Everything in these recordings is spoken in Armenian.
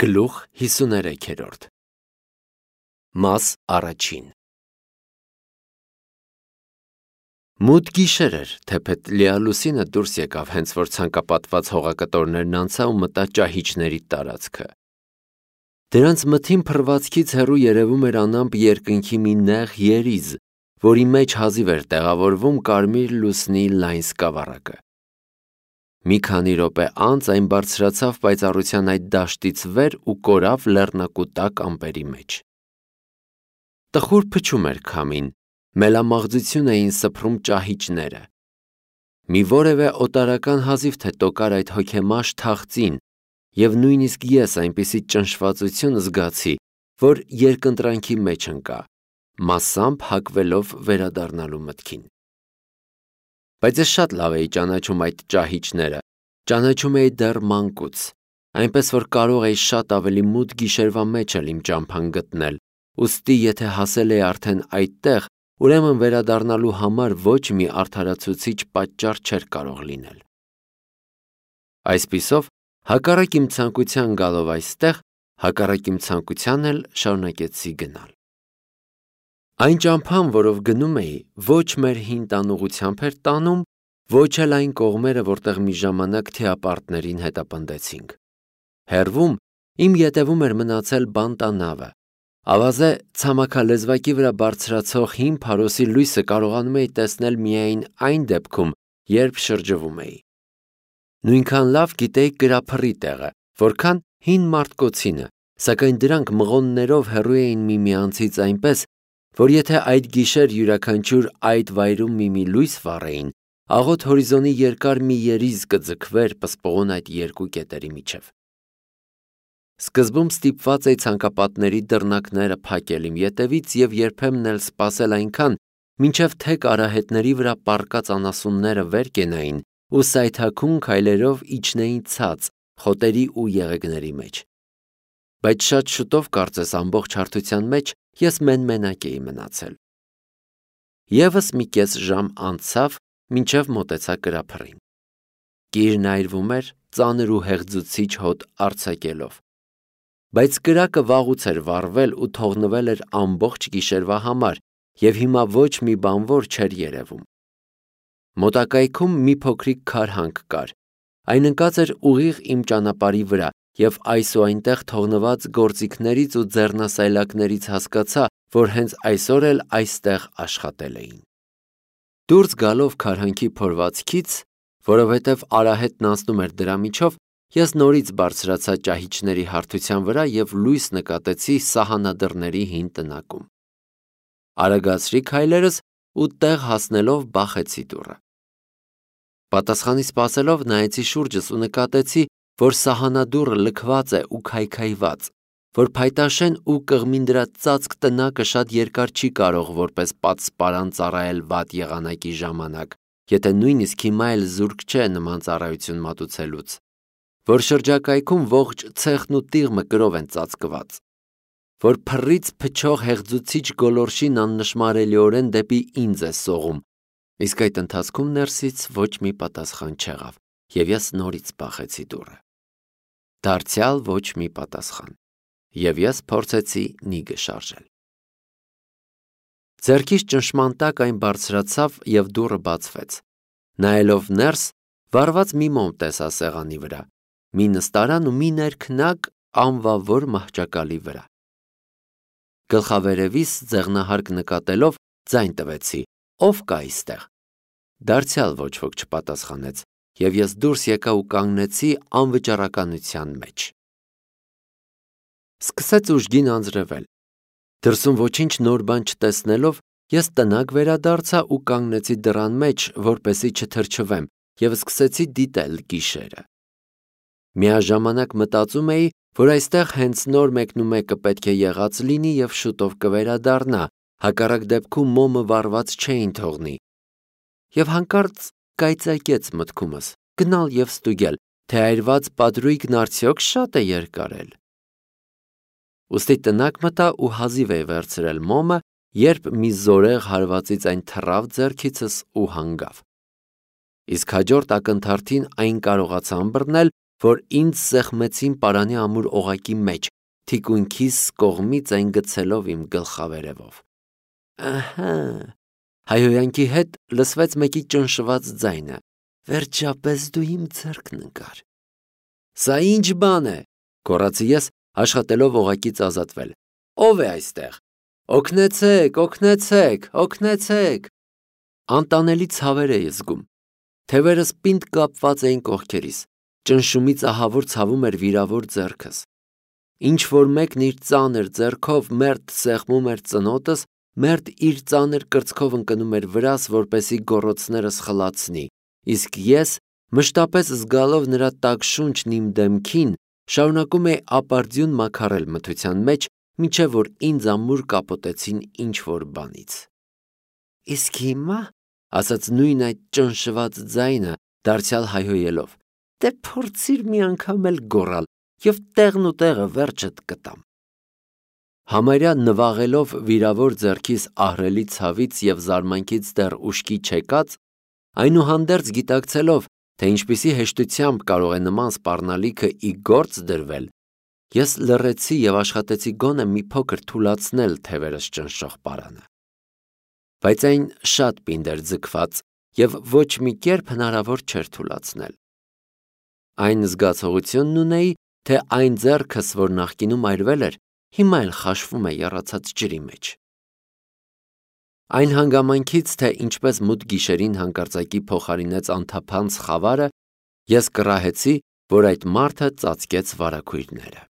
Գլուխ 53 Մաս առաջին Մութ գիշեր էր, թեպետ լիալուսինը դուրս եկավ, հենց որ ցանկապատված հողակտորներն անցա ու մտա ճահիճների տարածքը։ Դրանց մթին փռվածքից հեռու երևում էր անամպ երկնքի մի նեղ երիզ, որի մեջ հազիվ էր տեղավորվում կարմիր լուսնի լայն սկավառակը։ Մի քանի րոպե անց այն բարձրացավ պայծառության այդ դաշտից վեր ու կորավ լեռնակուտակ ամպերի մեջ։ Տխուր փչում էր քամին, մելամաղձություն էին սփռում ճահիճները։ Մի որևէ օտարական հազիվ թե տոկար այդ հոգեմաշ թախծին, և նույնիսկ ես այնպիսի ճնշվածություն զգացի, որ երկընտրանքի մեջ ընկա, մասամբ հակվելով վերադառնալու մտքին։ Բայց ես շատ լավ էի ճանաչում այդ ճահիճները, ճանաչում էի դեռ մանկուց, այնպես որ կարող էի շատ ավելի մութ գիշերվա մեջ էլ իմ ճամփան գտնել, ուստի եթե հասել էի արդեն այդտեղ, ուրեմն վերադառնալու համար ոչ մի արդարացուցիչ պատճառ չէր կարող լինել։ Այսպիսով, հակառակ իմ ցանկության գալով այստեղ, հակառակ իմ ցանկության էլ շարունակեցի գնալ։ Այն ճամփան, որով գնում էի, ոչ մեր հին տանուղությամբ էր տանում, ոչ էլ այն կողմերը, որտեղ մի ժամանակ թիապարտներին հետապնդեցինք։ Հեռվում իմ ետևում էր մնացել բանտանավը, ավազե ցամաքալեզվակի վրա բարձրացող հին փարոսի լույսը կարողանում էի տեսնել միայն այն դեպքում, երբ շրջվում էի։ Նույնքան լավ գիտեի կրափռի տեղը, որքան հին մարտկոցինը, սակայն դրանք մղոններով հեռու էին միմյանցից այնպես, որ եթե այդ գիշեր յուրաքանչյուր այդ վայրում մի լույս վառեին, աղոտ հորիզոնի երկար մի երիզ կձգվեր պսպղուն այդ երկու կետերի միջև։ Սկզբում ստիպված էի ցանկապատների դռնակները փակել իմ ետևից և երբեմն էլ սպասել այնքան, մինչև թեք արահետների վրա պառկած անասունները վեր կենային ու սայթաքուն քայլերով իջնեին ցած խոտերի ու եղեգների մեջ։ Բայց շատ շուտով, կարծես ամբողջ հարթության մեջ, ես մենմենակ էի մնացել։ Եվս մի կես ժամ անցավ, մինչև մոտեցա կրափռին։ Կիրն այրվում էր, ծանր ու հեղձուցիչ հոտ արձակելով։ Բայց կրակը վաղուց էր վառվել ու թողնվել էր ամբողջ գիշերվա համար, և հիմա ոչ մի բանվոր չէր երևում։ Մոտակայքում մի փոքրիկ քարհանք կար, այն ընկած էր ուղիղ իմ ճանապարհի վրա, և այս ու այնտեղ թողնված գործիքներից ու ձեռնասայլակներից հասկացա, որ հենց այսօր էլ այստեղ աշխատել էին։ Դուրս գալով քարհանքի փորվածքից, որովհետև արահետն անցնում էր դրա միջով, ես նորից բարձրացա ճահիճների հարթության վրա և լույս նկատեցի սահանադռների հին տնակում։ Արագացրի քայլերս ու տեղ հասնելով բախեցի դուռը։ Պատասխանի սպասելով նայեցի շուրջս ու նկատեցի, որ սահանադուռը լքված է ու քայքայված, որ փայտաշեն ու կղմինդրած ծածկ տնակը շատ երկար չի կարող որպես պատսպարան ծառայել վատ եղանակի ժամանակ, եթե նույնիսկ հիմա էլ զուրկ չէ նման ծառայություն մատուցելուց, որ շրջակայքում ողջ ցեխն ու տիղմը կրով են ծածկված, որ փռից փչող հեղձուցիչ գոլորշին աննշմարելիորեն դեպի ինձ է սողում, իսկ այդ ընթացքում ներսից ոչ մի պատասխան չեղավ, և ես նորից բախեցի դուռը։ Դարձյալ ոչ մի պատասխան, և ես փորձեցի նիգը շարժել։ Ձեռքիս ճնշման տակ այն բարձրացավ և դուռը բացվեց։ Նայելով ներս, վառված մի մոմ տեսա սեղանի վրա, մի նստարան ու մի ներքնակ անվավոր մահճակալի վրա։ Գլխավերևիս ձեղնահարկ նկատելով ձայն տվեցի. «Ով կա այստեղ»։ Դարձյալ ոչ ոք չպատասխանեց, և ես դուրս եկա ու կանգնեցի անվճռականության մեջ։ Սկսեց ուժգին անձրևել։ Դրսում ոչինչ նոր բան չտեսնելով, ես տնակ վերադարձա ու կանգնեցի դռան մեջ, որպեսզի չթրջվեմ, և սկսեցի դիտել գիշերը։ Միաժամանակ մտածում էի, որ այստեղ հենց նոր մեկնումեկը պետք է եղած լինի և շուտով կվերադառնա, հակառակ դեպքում մոմը վառված չէին թողնի։ Եվ հանկարծ կայծակեց մտքումս գնալ և ստուգել, թե այրված պատրույգն արդյոք շատ է երկարել։ Ուստի տնակ մտա ու հազիվ էի վերցրել մոմը, երբ մի զորեղ հարվածից այն թռավ ձեռքիցս ու հանգավ։ Իսկ հաջորդ ակնթարթին այն կարողացա ըմբռնել, որ ինձ սեղմեցին պարանի ամուր օղակի մեջ, թիկունքիս կողմից այն գցելով իմ գլխավերևով։ Ահա, հայհոյանքի հետ լսվեց մեկի ճնշված ձայնը. վերջապես դու իմ ձեռքն ընկար։ Սա ինչ բան է, գոռացի ես, աշխատելով օղակից ազատվել։ Ո՞վ է այստեղ։ Օգնեցեք, օգնեցեք, օգնեցեք։ Անտանելի ցավեր էի զգում։ Թևերս պինդ կապված էին կողքերիս, ճնշումից ահավոր ցավում էր վիրավոր ձեռքս։ Ինչ որ մեկն իր ծանր ձեռքով մերթ սեղմում էր ծնոտս, մերթ իր ծանր կրծքով ընկնում էր վրաս, որպեսի գոռոցներս խլացնի, իսկ ես, մշտապես զգալով նրա տաք շունչն իմ դեմքին, շարունակում էի ապարդյուն մաքարել մթության մեջ, մինչև որ ինձ ամուր կապոտեցին ինչ որ բանից։ Իսկ հիմա, ասաց նույն այդ ճնշված ձայնը, դարձյալ հայհոյելով, դե փորձիր մի անգամ էլ գոռալ, և տեղն ու տեղը վերջդ կտամ։ Համարյա նվաղելով վիրավոր ձեռքիս ահռելի ցավից և զարմանքից դեռ ուշքի չեկած, այնուհանդերձ գիտակցելով, թե ինչպիսի հեշտությամբ կարող է նման սպառնալիքը ի գործ դրվել, ես լռեցի և աշխատեցի գոնե մի փոքր թուլացնել թևերս ճնշող պարանը։ Բայց այն շատ պինդ էր ձգված և ոչ մի կերպ հնարավոր չէր թուլացնել։ Այն զգացողությունն ունեի, թե այն ձեռքս, որ նախկինում այրվել էր, հիմա էլ խաշվում է եռացած ջրի մեջ։ Այն հանգամանքից, թե ինչպես մութ գիշերին հանկարծակի փոխարինեց անթափանց խավարը, ես կռահեցի, որ այդ մարդը ծածկեց վարագույրները։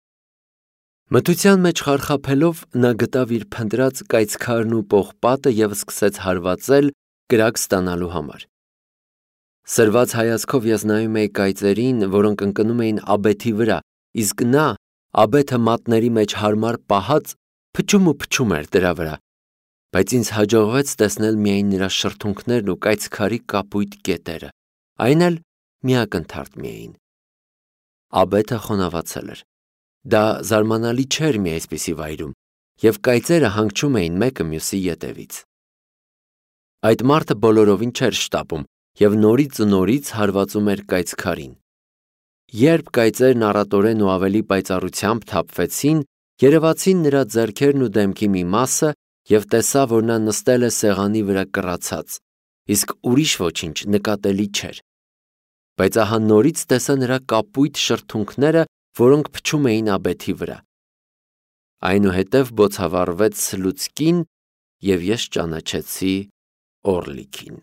Մթության մեջ խարխափելով նա գտավ իր փնտրած կայծքարն ու պողպատը և սկսեց հարվածել կրակ ստանալու համար։ Սրված հայացքով ես նայում էի կայծերին, որոնք ընկնում էին աբեթի վրա, իսկ նա, աբեթը մատների մեջ հարմար պահած, փչում ու փչում էր դրա վրա, բայց ինձ հաջողվեց տեսնել միայն նրա շրթունքներն ու կայծքարի կապույտ կետերը, այն էլ մի ակնթարթ միայն։ Աբեթը խոնավացել էր։ Դա զարմանալի չէր մի այսպիսի վայրում, և կայծերը հանգչում էին մեկը մյուսի ետևից։ Այդ մարդը բոլորովին չէր շտապում և նորից ու նորից հարվածում էր կայծքարին։ Երբ կայծերն առատորեն ու ավելի պայծառությամբ թափվեցին, երևացին նրա ձեռքերն ու դեմքի մի մասը և տեսա, որ նա նստել է սեղանի վրա կռացած, իսկ ուրիշ ոչինչ նկատելի չէր։ Բայց ահա նորից տեսա նրա կապույտ շրթունքները, որոնք փչում էին աբեթի վրա։ Այնուհետև բոցավառվեց լուցկին, և ես ճանաչեցի Օռլիկին։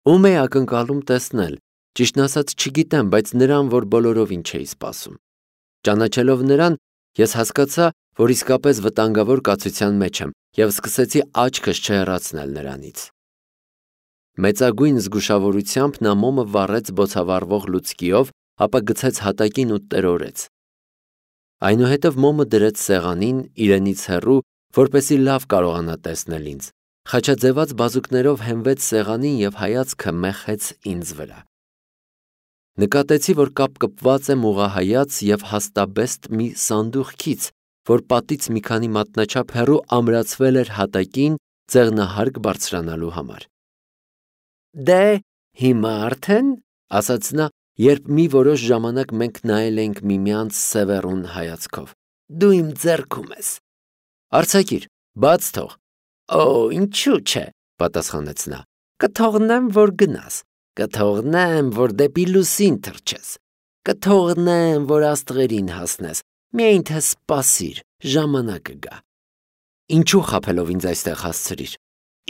Ում էի ակնկալում տեսնել, ճիշտն ասած չգիտեմ, բայց նրան, որ բոլորովին չէի սպասում։ Ճանաչելով նրան, ես հասկացա, որ իսկապես վտանգավոր կացության մեջ եմ և սկսեցի աչքս չհեռացնել նրանից։ Մեծագույն զգուշավորությամբ նա մոմը վառեց բոցավառվող լուցկիով, ապա գցեց հատակին ու տրորեց։ Այնուհետև մոմը դրեց սեղանին, իրենից հեռու, որպեսզի լավ կարողանա տեսնել ինձ, խաչաձևած բազուկներով հենվեց սեղանին և հայացքը մեխեց ինձ վրա։ Նկատեցի, որ կապկպված եմ ուղղահայաց և հաստաբեստ մի սանդուղքից, որ պատից մի քանի մատնաչափ հեռու ամրացվել էր հատակին ձեղնահարկ բարձրանալու համար։ Դե, հիմա արդեն, ասաց նա, երբ մի որոշ ժամանակ մենք նայել էինք միմյանց սևեռուն հայացքով, դու իմ ձեռքում ես։ Արձակիր, բաց թող։ Օ, ինչու՞ չէ, պատասխանեց նա։ Կթողնեմ, որ գնաս, կթողնեմ, որ դեպի լուսին թռչես, կթողնեմ, որ աստղերին հասնես, միայն թե սպասիր, ժամանակը գա։ Ինչու խաբելով ինձ այստեղ հասցրիր։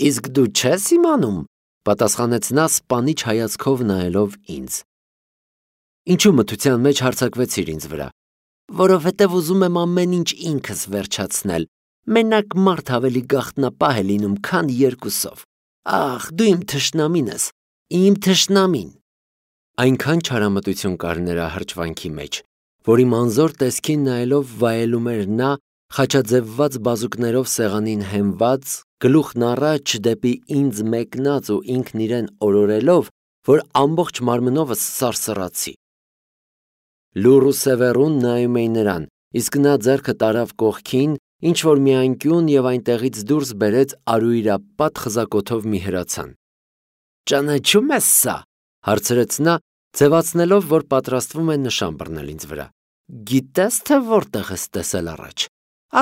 Իսկ դու չես իմանում, պատասխանեց նա սպանիչ հայացքով նայելով ինձ։ Ինչու մթության մեջ հարձակվեցիր ինձ վրա։ Որովհետև ուզում եմ ամեն ինչ ինքս վերջացնել։ Մենակ մարդ ավելի գաղտնապահ է լինում, քան երկուսով։ Ախ, դու իմ թշնամին ես, իմ թշնամին։ Այնքան չարամտություն կար նրա հրճվանքի մեջ, որ իմ անզոր տեսքին նայելով վայելում էր նա, խաչաձևված բազուկներով սեղանին հենված, գլուխն առաջ դեպի ինձ մեկնած ու ինքն իրեն օրորելով, որ ամբողջ մարմնովս սարսռացի։ Լուռ ու սևեռուն նայում էի նրան, իսկ նա ձեռքը տարավ կողքին, ինչ-որ մի անկյուն և այնտեղից դուրս բերեց արույրապատ խզակոթով մի հրացան։ Ճանաչում ես սա, հարցրեց նա, ձևացնելով, որ պատրաստվում է նշան բռնել ինձ վրա։ Գիտես, թե որտեղ ես տեսել առաջ։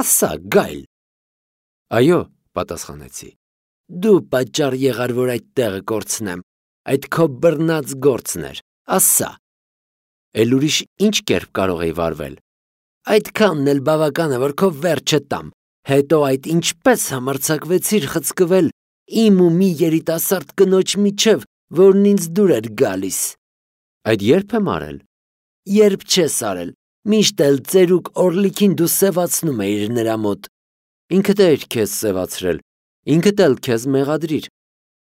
Ասա, գայլ։ Այո, պատասխանեցի։ Դու պատճառ եղար, որ այդ տեղը կորցնեմ։ Այդ քո բռնած գործն էր։ Ասա։ Էլ ուրիշ ինչ կերպ կարող էի վարվել։ Այդքանն էլ բավական է, որ քո վերջը տամ։ Հետո այդ ինչպես համարձակվեցիր խցկվել իմ ու մի երիտասարդ կնոջ միջև, որն ինձ դուր էր գալիս։ Այդ երբ եմ արել։ Երբ չես արել, միշտ էլ ծերուկ Օրլիքին դու սևացնում էիր նրա մոտ։ Ինքդ էիր քեզ սևացրել, ինքդ էլ քեզ մեղադրիր։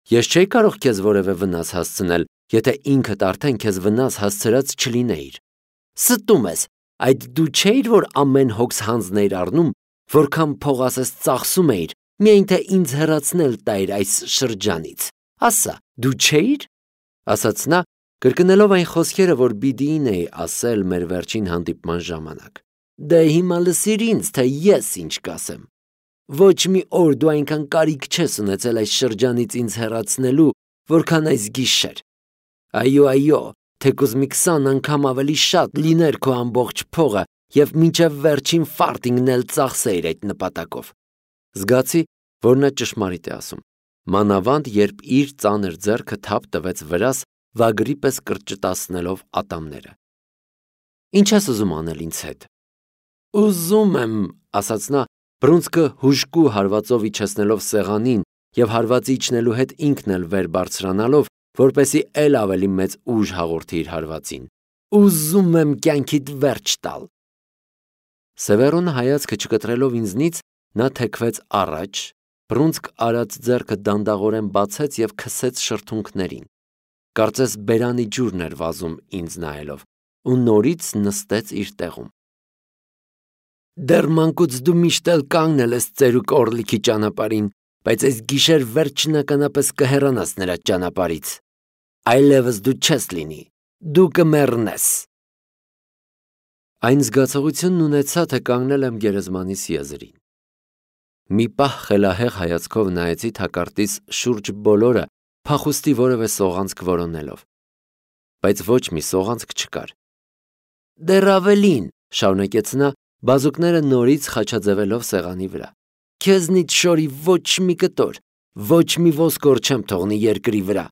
Ես չէի կարող քեզ որևէ վնաս հասցնել, եթե ինքդ արդեն քեզ վնաս հասցրած չլինեիր։ Ստում ես, այդ դու չէիր, որ ամեն հոգս հանձն էիր առնում, որքան փող ասես ծախսում էիր, միայն թե ինձ հեռացնել տայր այս շրջանից։ Ասա, դու չէիր։ Ասաց նա, կրկնելով այն խոսքերը, որ Բիդիին էի ասել մեր վերջին հանդիպման ժամանակ։ Դե հիմա լսիր ինձ, թե ես ինչ կասեմ։ Ոչ մի օր դու այնքան կարիք չես ունեցել այս շրջանից ինձ հեռացնելու, որքան այս գիշեր։ Այո, թեկուզ մի 20 անգամ ավելի շատ լիներ քո ամբողջ փողը և մինչև վերջին ֆարտինգն էլ ծախսեիր այդ նպատակով։ Զգացի, որ նա ճշմարիտ է ասում, մանավանդ երբ իր ծանր ձեռքը թափ տվեց վրաս, վագրի պես կրճտացնելով ատամները։ Ինչ ես ուզում անել ինձ հետ։ Ուզում եմ, ասաց նա, բռունցքը հուժկու հարվածով իջեցնելով սեղանին և հարվածի իջնելու հետ ինքն էլ վեր բարձրանալով, որպեսզի էլ ավելի մեծ ուժ հաղորդի իր հարվածին։ Ուզում եմ կյանքիդ վերջ տալ։ Սևերոնը հայացքը չկտրելով ինձնից, նա թեքվեց առաջ, բռունցք արած ձեռքը դանդաղորեն բացեց և քսեց շրթունքներին։ Կարծես բերանի ջուրն էր վազում ինձ նայելով, ու նորից նստեց իր տեղում։ Դեռ մանկուց դու միշտ էլ կանգնել ես ծերուկ Օրլիքի ճանապարհին, բայց այս գիշեր վերջնականապես կհեռանաս նրա ճանապարհից։ Այլևս դու չես լինի, դու կմեռնես։ Այն զգացողությունն ունեցա, թե կանգնել եմ գերեզմանիս եզրին։ Մի պահ խելահեղ հայացքով նայեցի թակարդիս շուրջ բոլորը, փախուստի որևէ սողանցք որոնելով, բայց ոչ մի սողանցք չկար։ Դեռ ավելին, շարունակեց նա, բազուկները նորից խաչաձևելով սեղանի վրա։ Քեզնից շորի ոչ մի կտոր, ոչ մի ոսկոր չեմ թողնի երկրի վրա։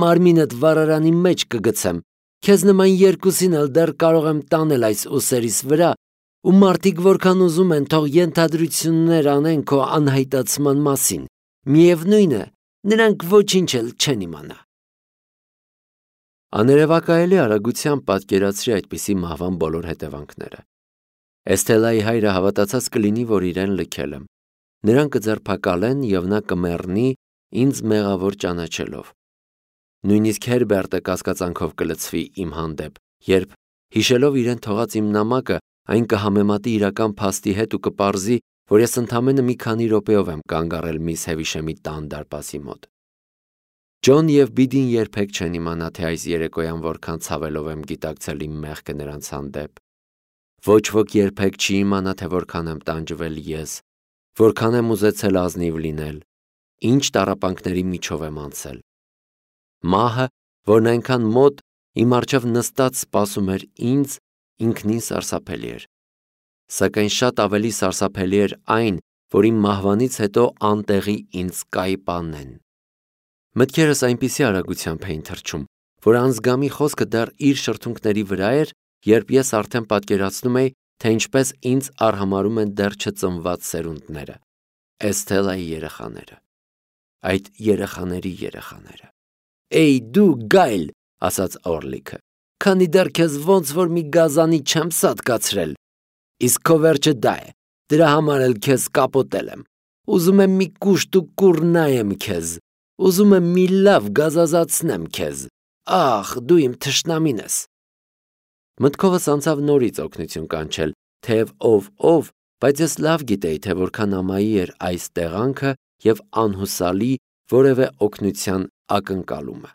Մարմինդ վառարանի մեջ կգցեմ, քեզ նման երկուսին էլ դեռ կարող եմ տանել այս ուսերիս վրա, ու մարդիկ որքան ուզում են թող ենթադրություններ անեն քո անհայտացման մասին, միևնույն է, նրանք ոչինչ էլ չեն իմանա։ Աներևակայելի արագությամբ պատկերացրի այդպիսի մահվան բոլոր հետևանքները։ Էսթելայի հայրը հավատացած կլինի, որ իրեն լքել եմ։ Նրան կձերբակալեն և նա կմեռնի ինձ մեղավոր ճանաչելով։ Նույնիսկ Հերբերտը կասկածանքով կլցվի իմ հանդեպ, երբ, հիշելով իրեն թողած իմ նամակը, այն կհամեմատի իրական փաստի հետ ու կպարզի, որ ես ընդամենը մի քանի րոպեով եմ կանգ առել միս Հևիշեմի տան դարպասի մոտ։ Ջոն և Բիդին երբեք չեն իմանա, թե այս երեկոյան որքան ցավելով եմ գիտակցել իմ մեղքը նրանց հանդեպ։ Ոչ ոք երբեք չի իմանա, թե որքան եմ տանջվել ես, որքան եմ ուզեցել ազնիվ լինել, ինչ տառապանքների միջով եմ անցել։ Մահը, որն այնքան մոտ իմ առջև նստած սպասում էր ինձ, ինքնին սարսափելի էր։ Սակայն շատ ավելի սարսափելի էր այն, որ իմ մահվանից հետո անտեղի ինձ կայպանեն։ Մտքերս այնպիսի արագությամբ էին թռչում, որ անզգամի խոսքը դեռ իր շրթունքների վրա էր, երբ ես արդեն պատկերացնում էի, թե ինչպես ինձ արհամարհում են դեռ չծնված սերունդները, Էսթելայի երեխաները, այդ երեխաների երեխաները։ Էй դու գայլ, ասաց Օրլիքը, քանի դեռ քեզ ոնց որ մի գազանի չեմ սատկացրել, իսկ քո վերջը դա է, դրա համար էլ քեզ կապոտել եմ, ուզում եմ մի կուշտ ու կուռ նայեմ քեզ, ուզում եմ մի լավ գազազացնեմ քեզ, ախ, դու իմ թշնամին ես։ Մտքովս անցավ նորից օգնություն կանչել, թեև ով, բայց ես լավ գիտեի, թե որքան ամայի էր այս տեղանքը և անհուսալի որևէ օգնության ակնկալումը։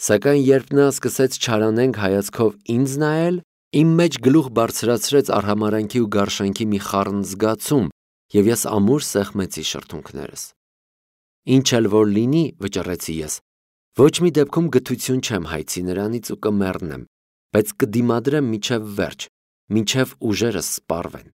Սակայն երբ նա սկսեց չարանենգ հայացքով ինձ նայել, իմ մեջ գլուխ բարձրացրեց արհամարհանքի ու գարշանքի մի խառն զգացում, և ես ամուր սեղմեցի շրթունքներս։ Ինչ էլ որ լինի, վճռեցի ես, Ոչ մի դեպքում գթություն չեմ հայցի նրանից ու կմեռնեմ, բայց կդիմադրեմ մինչև վերջ, մինչև ուժերս սպառվեն։